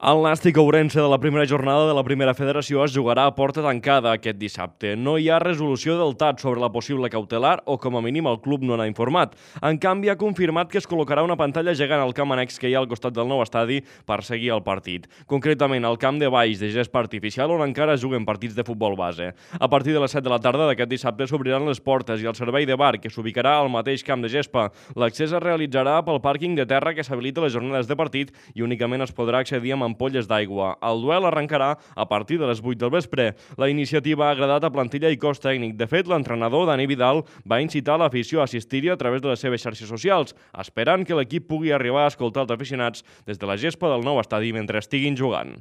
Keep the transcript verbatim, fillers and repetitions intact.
El Nàstic Ourense de la primera jornada de la primera federació es jugarà a porta tancada aquest dissabte. No hi ha resolució del T A T sobre la possible cautelar o, com a mínim, el club no n'ha informat. En canvi, ha confirmat que es col·locarà una pantalla gegant al camp annex que hi ha al costat del nou estadi per seguir el partit. Concretament, al camp de Valls de gespa artificial on encara es juguen partits de futbol base. A partir de les set de la tarda d'aquest dissabte s'obriran les portes i el servei de bar, que s'ubicarà al mateix camp de gespa. L'accés es realitzarà pel pàrquing de terra que s'habilita a les jornades de partit i únicament es podrà accedir amb ampolles d'aigua. El duel arrencarà a partir de les vuit del vespre. La iniciativa ha agradat a plantilla i cos tècnic. De fet, l'entrenador Dani Vidal va incitar l'afició a assistir-hi a través de les seves xarxes socials, esperant que l'equip pugui arribar a escoltar els aficionats des de la gespa del nou estadi mentre estiguin jugant.